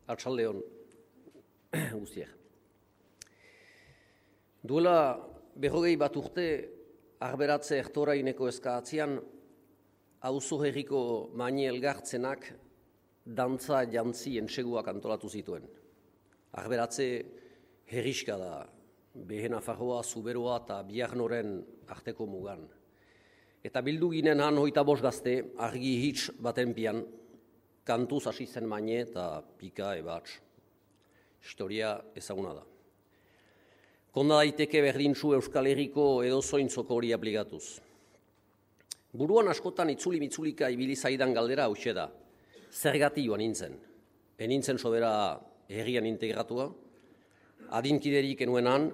Arratsaldeon guztiak. Duela 40 bat urte Arberatze Ertoraineko eskaatzean auzo herriko maine elgartzenak dantza jantzi entseguak antolatu zituen. Arberatze herriska da, Behe Nafarroa, Zuberoa eta Biarnoren arteko mugan. Eta bildu ginen han 25 gazte argi hitz baten pian, kantuz hasi zen maine eta pika ebats. Historia ezaguna da. Konda daiteke berdintzu Euskal Herriko edozointzoko hori aplikatuz. Buruan askotan itzuli-mitzulika ibili zaidan galdera hauxe da. Zergatik joan nintzen. Enintzen sobera herrian integratua, adinkiderik enuenan,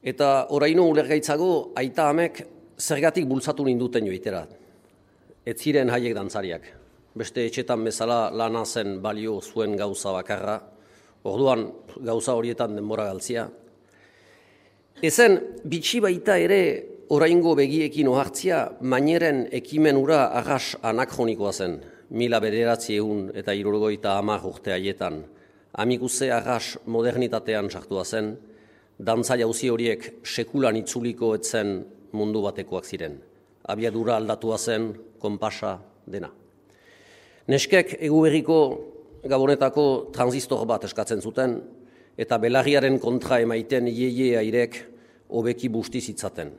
eta oraino ulergaitzago aita amek zergatik bultzatu ninduten joitera. Ez ziren haiek dantzariak. Beste etxetan bezala lana zen balio zuen gauza bakarra, orduan gauza horietan denbora galtzia. Ezen, bitxi baita ere oraingo begiekin ohartzia, maineren ekimen ura arras anakronikoa zen, 1970 urte haietan. Amikuze arras modernitatean sartua zen, dantza jauzi horiek sekulan itzuliko etzen mundu batekoak ziren. Abiadura aldatua zen, konpasa dena. Neskek eguberriko Gabonetako transistor bat eskatzen zuten, eta belarriaren kontra emaiten ieie airek hobeki busti zitzaten.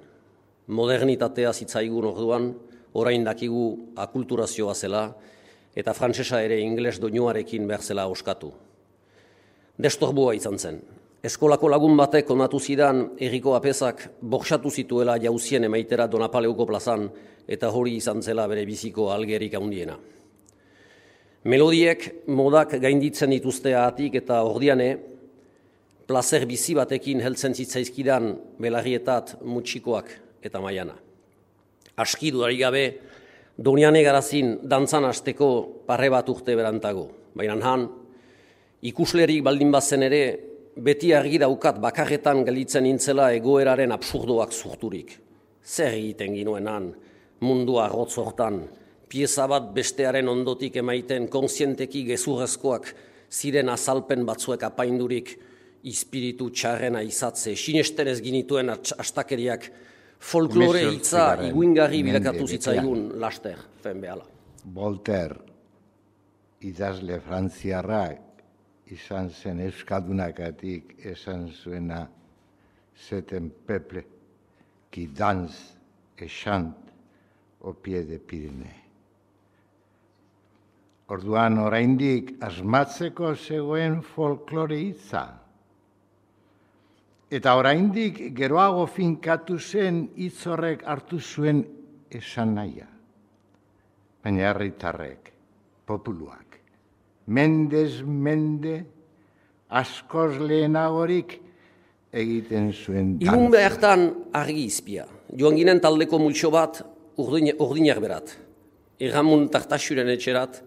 Modernitatea zitzaigun orduan, orain dakigu akulturazioa zela, eta frantsesa ere ingles doinuarekin behar zela oskatu. Destorbua izan zen. Eskolako lagun batek onatu zidan herriko apezak borxatu zituela jauzien emaitera Donapaleuko plazan, eta hori izan zela bere biziko algerik handiena. Melodiek modak gainditzen dituzteatik eta ordiane, plazer bizi batekin heltzen zitzaizkidan belarrietat mutxikoak eta maiana. Aski dudarik gabe, Doniane garazin dantzan hasteko parre bat urte berantago. Baina han, ikuslerik baldin bazen ere, beti argi daukat bakarretan gelditzen nintzela egoeraren absurdoak zurturik. Zer egiten ginuen han, mundua arrotz hortan, pieza bat bestearen ondotik emaiten kontzienteki gezurrezkoak ziren azalpen batzuek apaindurik ispiritu txarrena izatze, sinesten ez ginituen astakeriak folklore hitza iguingarri bilakatu zitzaigun laster, fen behala. Voltaire, idazle frantziarrak, izan zen euskaldunakatik esan zuena zeten peple, qui danse et chante au pied de Pyrénées. Orduan oraindik asmatzeko zegoen folklore hitza. Eta oraindik geroago finkatu zen hitz horrek hartu zuen esan nahia. Baina herritarrek, populuak, mendez mende, askoz lehenagorik egiten zuen dantza. Ilun behartan argi izpia. Joan ginen taldeko multxo bat urdinak berat. Erramun tartaxuren etxerat,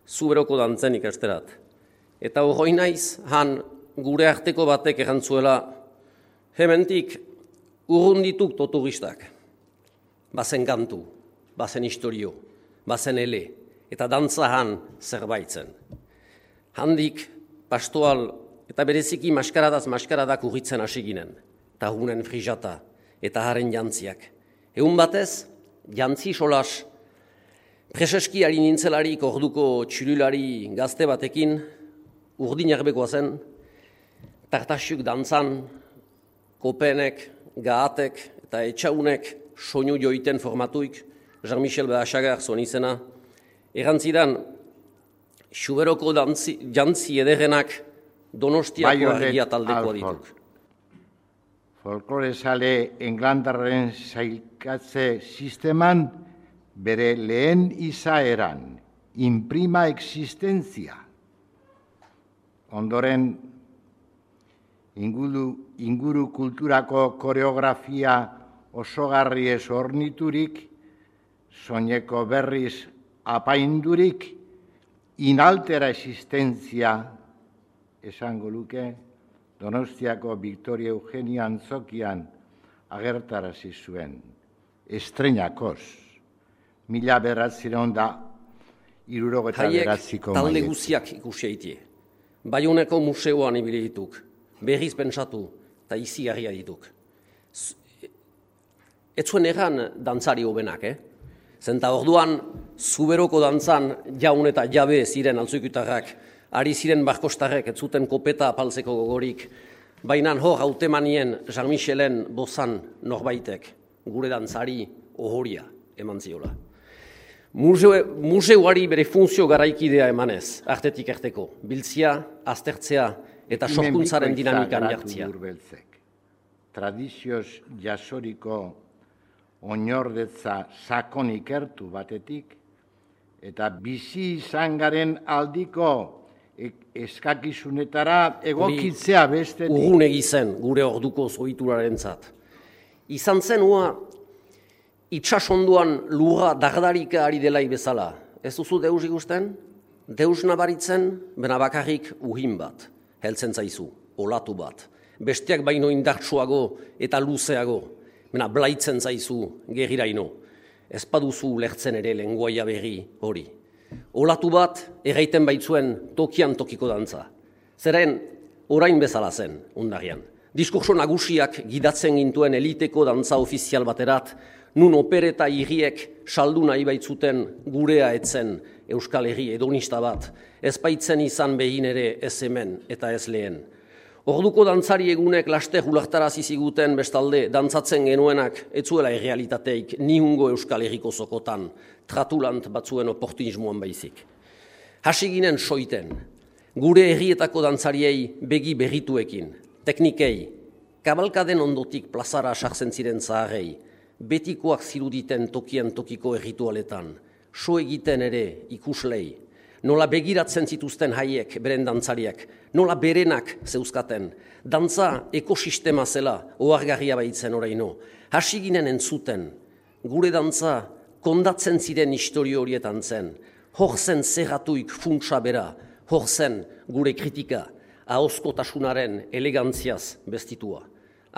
Zuberoko dantzen ikasterat. Eta hori naiz, han gure arteko batek errantzuela, hementik urrundituk toturistak. Bazen kantu, bazen historio, bazen ele, eta dantza han zerbaitzen. Handik, pastoal eta bereziki maskaradak urritzen hasi ginen, eta hunen frijata eta haren jantziak. Egun batez, jantzi solas, preseski ari nintzelarik orduko txululari gazte batekin, urdinarbekoa zen, tartaxuk dantzan, kopenek, gaatek eta etxaunek soinu joiten formatuik, Jean-Michel Behasagar zuen izena, errantzidan, Zuberoko jantzi ederrenak Donostiako argia taldeko dituk. Folklore sale englandarren sailkatze sisteman bere lehen izaeran, imprima existentzia. Ondoren, inguru kulturako koreografia osogarri ez orniturik, soineko berriz apaindurik, inaltera existentzia, esango luke, Donostiako Victoria Eugenia antzokian agertarazi zuen, estreinakoz, 1979ko Haiek talde guziak ikusi eitie. Baioneko museoan ibili dituk, berriz pentsatu, eta izigarria dituk. Ez zuen egan dantzari hobenak, Zenta orduan, zuberoko dantzan jaun eta jabe ziren altzuikutarrak, ari ziren barkostarrek, ez zuten kopeta apaltzeko gogorik, baina hor hautemanien Jean-Michelen bozan norbaitek, gure dantzari ohoria eman ziola. Museuari bere funtzio garaikidea emanez, artetik erteko, biltzia, aztertzea eta sorkuntzaren dinamikan jartzea. Tradizioz jasoriko oinordetza sakon ikertu batetik, eta bizi izan garen aldiko eskakizunetara egokitzea bestetik. Urrun egizen gure orduko zoiturarentzat. Izan zen ua itsasonduan lurra dardarika ari delai bezala. Ez duzu deus ikusten? Deus nabaritzen, bena bakarrik uhin bat, heltzen zaizu, olatu bat. Besteak baino indartsuago eta luzeago, bena blaitzen zaizu geriraino. Ez paduzu lertzen ere lenguaia berri hori. Olatu bat erraiten baitzuen tokian tokiko dantza. Zeren orain bezala zen, ondarian. Diskurso nagusiak gidatzen gintuen eliteko dantza ofizial baterat, nun opereta hiriek saldu nahi baitzuten gurea etzen Euskal Herri hedonista bat, ez baitzen izan behin ere ez hemen eta ez lehen. Orduko dantzari egunek laster ulartarazi ziguten bestalde dantzatzen genuenak etzuela errealitateik nihungo Euskal Herriko zokotan, tratulant batzuen oportunismoan baizik. Hasi ginen soiten, gure herrietako dantzariei begi berrituekin, teknikei, kabalkaden ondotik plazara sartzen ziren zaharrei, betikoak ziruditen tokian tokiko erritualetan, so egiten ere ikuslei, nola begiratzen zituzten haiek beren dantzariak, nola berenak zeuzkaten, dantza ekosistema zela ohargarria baitzen oraino. Hasi ginen entzuten, gure dantza kondatzen ziren historio horietan zen, hor zen zerratuik funtsa bera, hor zen gure kritika, ahozkotasunaren elegantziaz bestitua.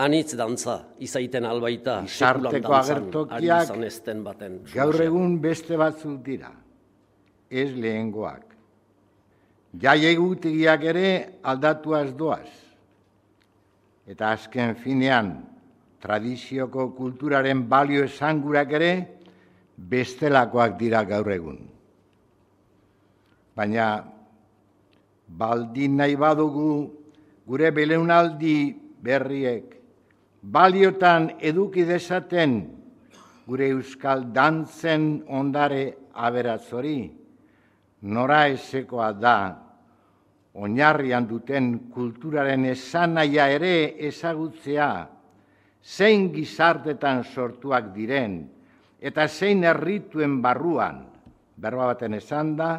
Anitz dantza, izaiten albaita, sekulan dantzan, ari izan ezten baten. Gaur egun beste batzuk dira, ez lehengoak. Jai egutegiak ere aldatuaz doaz. Eta azken finean, tradizioko kulturaren balio esangurak ere bestelakoak dira gaur egun. Baina, baldin nahi badugu gure belaunaldi berriek, baliotan eduki dezaten gure euskal dantzen ondare aberatzori, nora ezekoa da, oinarrian duten kulturaren esanaia ere ezagutzea, zein gizartetan sortuak diren, eta zein errituen barruan, berba baten esan da,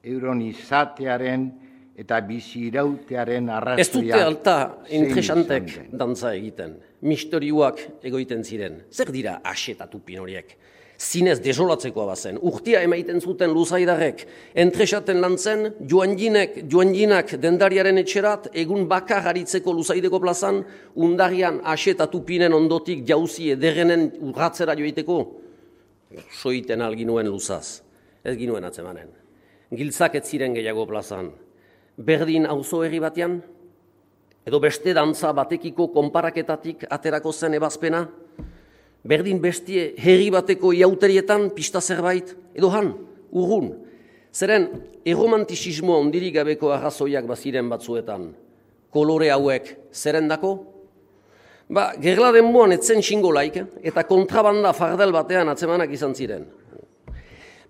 euron izatearen eta bizi irautearen arrazoia. Ez dute alta interesantek dantza egiten, misterioak egoiten ziren. Zer dira asetatu pin horiek? Zinez desolatzekoa bazen. Urtia emaiten zuten luzaidarrek, entresaten lantzen, joanginak dendariaren etxerat, egun bakar haritzeko luzaideko plazan, undarian asetatu pinen ondotik jauzi ederrenen urratzera joiteko, soiten alginuen luzaz, ez ginuen atzemanen. Giltzak ez ziren gehiago plazan. Berdin auzo herri batean, edo beste dantza batekiko konparaketatik aterako zen ebazpena, berdin bestie herri bateko iauterietan pista zerbait, edo han, urrun. Zeren, erromantizismoa ondirik gabeko arrazoiak baziren batzuetan, kolore hauek zerendako? Gerla denboan etzen xingolaik, eta kontrabanda fardel batean atzemanak izan ziren.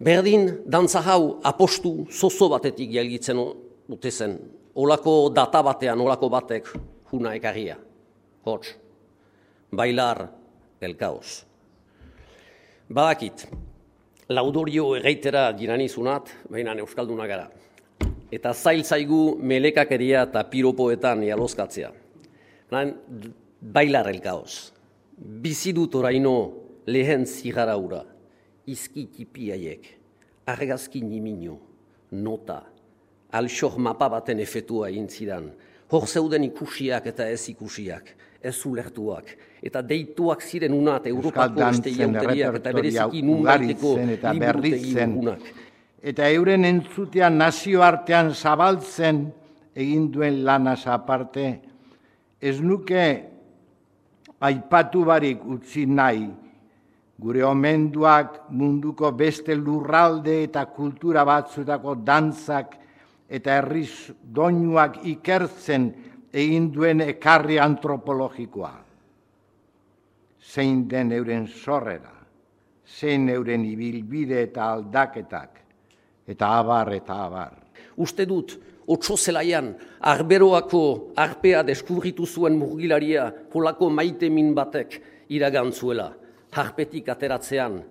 Berdin, dantza hau apostu zozo batetik jalgitzen dute zen, olako data batean, olako batek juna ekarria. Hots, bailar el caos. Badakit, laudorio erreitera jiranizunat, baina euskalduna gara. Eta zail zaigu melekakeria eta piropoetan jalozkatzea. Bailar el caos. Bizidut oraino lehen zigara ura, izki tipiaiek, argazki nimino, nota, alxor mapa baten efetua egin zidan, hor zeuden ikusiak eta ez ikusiak, ez ulertuak, eta deituak ziren unat Europako beste iauteriak eta bereziki nun baiteko liburutegi unak. eta euren entzutean nazioartean zabaltzen egin duen lanaz aparte, ez nuke aipatu barik utzi nahi, gure omenduak munduko beste lurralde eta kultura batzutako dantzak eta herriz doinuak ikertzen egin duen ekarri antropologikoa. Zein den euren sorrera, zein euren ibilbide eta aldaketak, eta abar eta abar. Uste dut, otso zelaian, arberoako arpea deskubritu zuen murgilaria holako maitemin batek iragantzuela. Harpetik ateratzean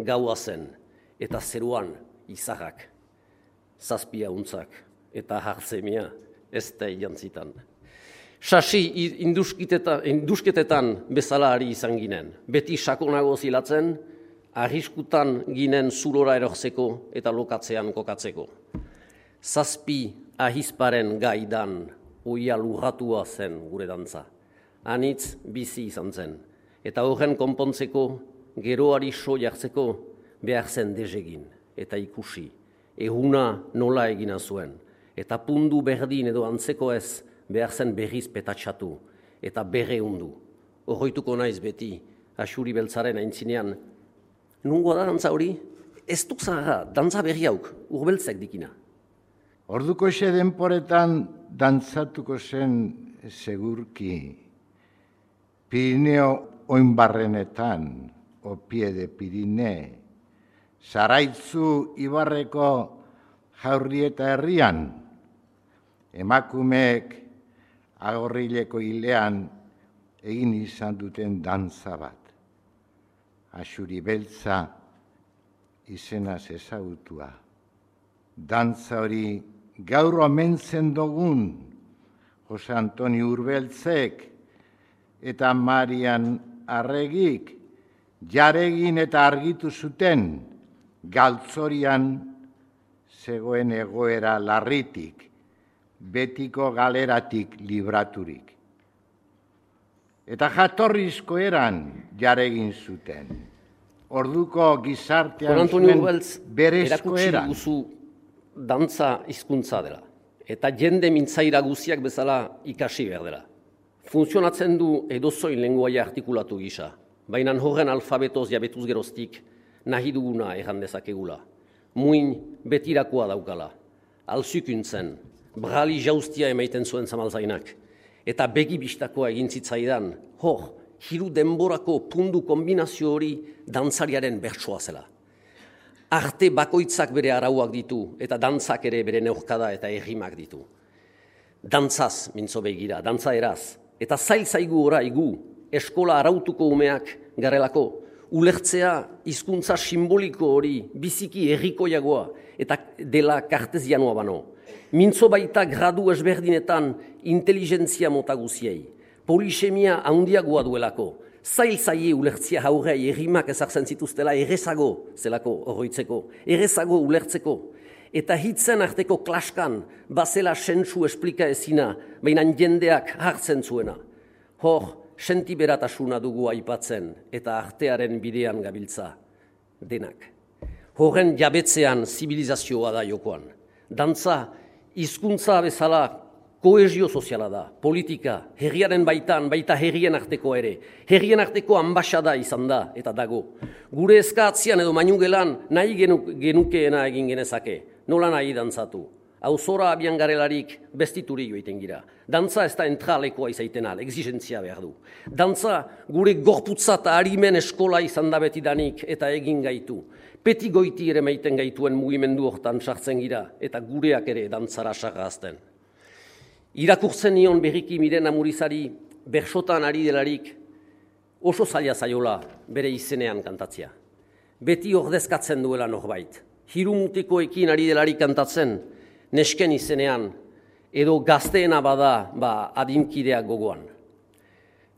gaua zen, eta zeruan izarrak, zazpia untzak, eta hartzemia ez da jantzitan. Sasi indusketetan bezala ari izan ginen, beti sakonago zilatzen, arriskutan ginen zurora erortzeko eta lokatzean kokatzeko. Zazpi ahizparen gaidan oia lurratua zen gure dantza. Anitz bizi izan zen. Eta horren konpontzeko, geroari so jartzeko behar zen dezegin eta ikusi. Ehuna nola egina zuen. Eta pundu berdin edo antzeko ez behar zen berriz petatsatu eta berreundu. Horroituko naiz beti, Axuri Beltzaren aintzinean. Nungo da dantza hori? Ez duk zara, dantza berri hauk, urbeltzek dikina. Orduko xe denporetan dantzatuko zen segurki. Pirineo oinbarrenetan, opie de Pirine, Zaraitzu Ibarreko Jaurrieta herrian, emakumeek Agorrileko hilean egin izan duten dantza bat. Axuri Beltza izenaz ezagutua. Dantza hori gaur omentzen dugun Jose Antoni Urbeltzek eta Marian Arregik jaregin eta argitu zuten galtzorian zegoen egoera larritik, betiko galeratik libraturik. Eta jatorrizko eran jaregin zuten. Orduko gizartean zuen berezko eran. Dantza hizkuntza dela, eta jende mintzaira guziak bezala ikasi behar dela. Funtzionatzen du edozoin lenguaia artikulatu gisa, baina horren alfabetoz jabetuz geroztik nahi duguna erran dezakegula. Muin betirakoa daukala, alzukuntzen, brali jauztia emaiten zuen zamalzainak, eta begi bistakoa egin zitzaidan, hiru denborako pundu kombinazio hori dantzariaren bertsoa zela. Arte bakoitzak bere arauak ditu, eta dantzak ere bere neurkada eta errimak ditu. Dantzaz mintzo begira, dantza eraz, eta zail zaigu oraigu, eskola arautuko umeak garelako, ulertzea hizkuntza simboliko hori biziki herrikoiagoa eta dela kartesianoa bano. Mintzo baita gradu ezberdinetan inteligentzia mota guziei, polisemia handiagoa duelako, zail ulertzia haurrei errimak ezartzen zituztela errezago zelako horroitzeko, errezago ulertzeko, eta hitzen arteko klaskan bazela sentsu esplika ezina, baina jendeak hartzen zuena. Sentiberatasuna dugu aipatzen eta artearen bidean gabiltza denak. Horren jabetzean zibilizazioa da jokoan. Dantza, hizkuntza bezala kohesio soziala da, politika, herriaren baitan, baita herrien arteko ere. Herrien arteko ambasada izan da eta dago. Gure eskatzian edo mainugelan nahi genukeena egin genezake, nola nahi dantzatu. Auzora abian garelarik bestituri joiten gira. Dantza ez da entralekoa izaiten al, exigentzia behar du. Dantza gure gorputza eta harimen eskola izan da betidanik eta egin gaitu. Peti goiti ere meiten gaituen mugimendu hortan sartzen gira eta gureak ere dantzara sarrazten. Irakurtzen nion berriki Miren Amurizari bersotan ari delarik oso zaila zaiola bere izenean kantatzea. Beti ordezkatzen duela norbait. Hirumutiko ekin ari delarik kantatzen, nesken izenean, edo gazteena bada adinkideak gogoan.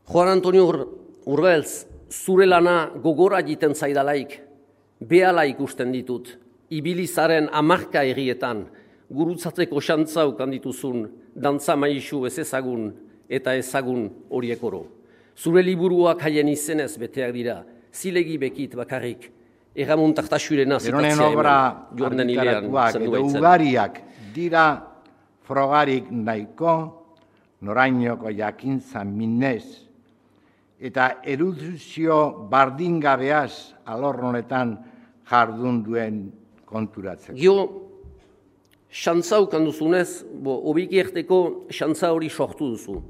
Juan Antonio Urbeltz, zure lana gogora egiten zaidalaik, behala ikusten ditut, ibilizaren hamarka herrietan, gurutzatzeko xantza ukan dituzun, dantza maisu ez ezagun eta ezagun horiek oro. Zure liburuak haien izenez beteak dira, zilegi bekit bakarrik, Egamon Tartaxurena Beronen zitatzea obra joan den hilean argitaratuak zendu edo baitzen. ugariak dira frogarik nahiko, norainoko jakintza minez, eta erudizio bardingabeaz alor honetan jardun duen konturatzen. Gio, xantza ukan duzunez, obiki erteko xantza hori sortu duzu.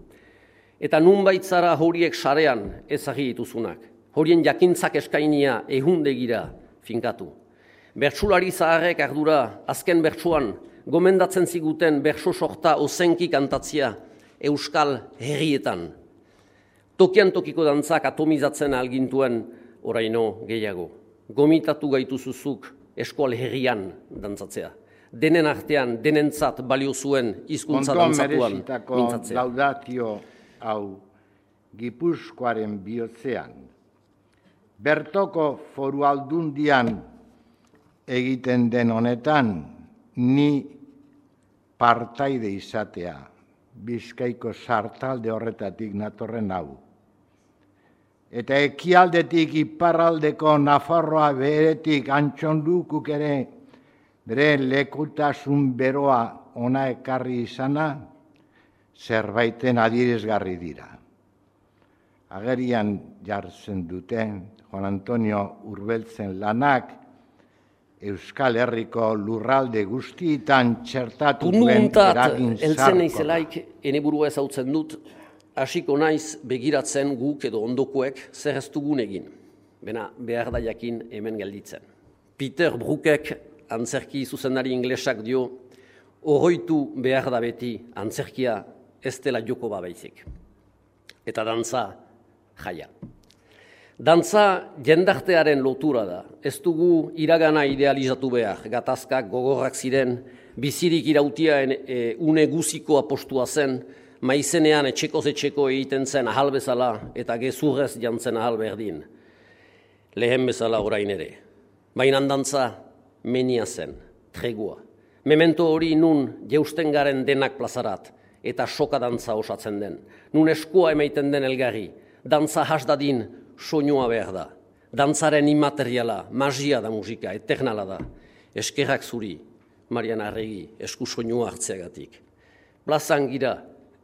Eta nunbait zara horiek sarean ezagir dituzunak. Horien jakintzak eskainia ehundegira finkatu. Bertsulari zaharrek ardura azken bertsuan gomendatzen ziguten bertso sorta ozenki kantatzia euskal herrietan. Tokian tokiko dantzak atomizatzen algintuen oraino gehiago. Gomitatu gaituzuzuk eskual herrian dantzatzea. Denen artean, denentzat balio zuen hizkuntza dantzatuan mintzatzea. Laudatio hau Gipuzkoaren bihotzean, bertoko foru aldundian egiten den honetan, ni partaide izatea, Bizkaiko sartalde horretatik natorren hau. Eta ekialdetik iparraldeko Nafarroa beretik Antxondukuk ere bere lekutasun beroa ona ekarri izana, zerbaiten adierazgarri dira. Agerian jartzen dute Juan Antonio Urbeltzen lanak Euskal Herriko lurralde guztietan txertatu duen eragin eltzen zarkoa. naizelaik ene burua ezautzen dut, hasiko naiz begiratzen guk edo ondokuek zer ez dugun egin. Bena behar da jakin hemen gelditzen. Peter Brookek antzerki zuzendari inglesak dio, oroitu behar da beti antzerkia ez dela joko babaizik. Eta dantza jaia. Dantza jendartearen lotura da. Ez dugu iragana idealizatu behar. Gatazkak gogorrak ziren, bizirik irautia une guziko apostua zen, maizenean etxekoz etxeko egiten zen ahal bezala eta gezurrez jantzen ahal berdin. Lehen bezala orain ere. Baina dantza menia zen, tregua. Memento hori nun jeusten garen denak plazarat eta soka dantza osatzen den. Nun eskua emaiten den elgarri, dantza hasdadin soinua behar da. Dantzaren immateriala, magia da musika, eternala da. Eskerrak zuri, Marian Arregi, esku soinua hartzeagatik. Plazan gira,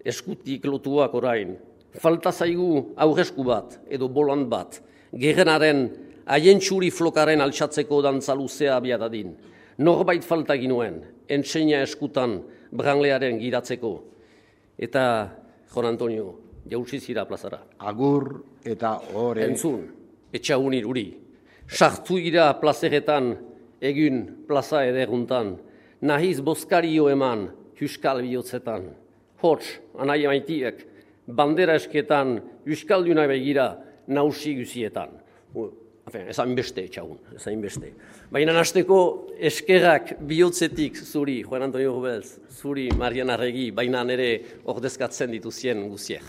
eskutik lotuak orain, falta zaigu aurresku bat edo bolant bat, gerrenaren aientsuri flokaren altxatzeko dantza luzea abiadadin. Norbait falta ginuen, entseina eskutan branlearen giratzeko. Eta, Jon Antonio, jautsi zira plazara. Agur eta ore. Entzun, etxaunir uri. Sartu gira plazeretan, egin plaza ederuntan. Nahiz bozkario eman, huskal bihotzetan. Hots, anai maitiek, bandera esketan, huskalduna begira, nausi guzietan. Ezain beste etxagun, ezain beste. Baina hasteko eskerrak bihotzetik zuri, Juan Antonio Rubelz, zuri Marian Arregi, baina nere ordezkatzen dituzien guziek.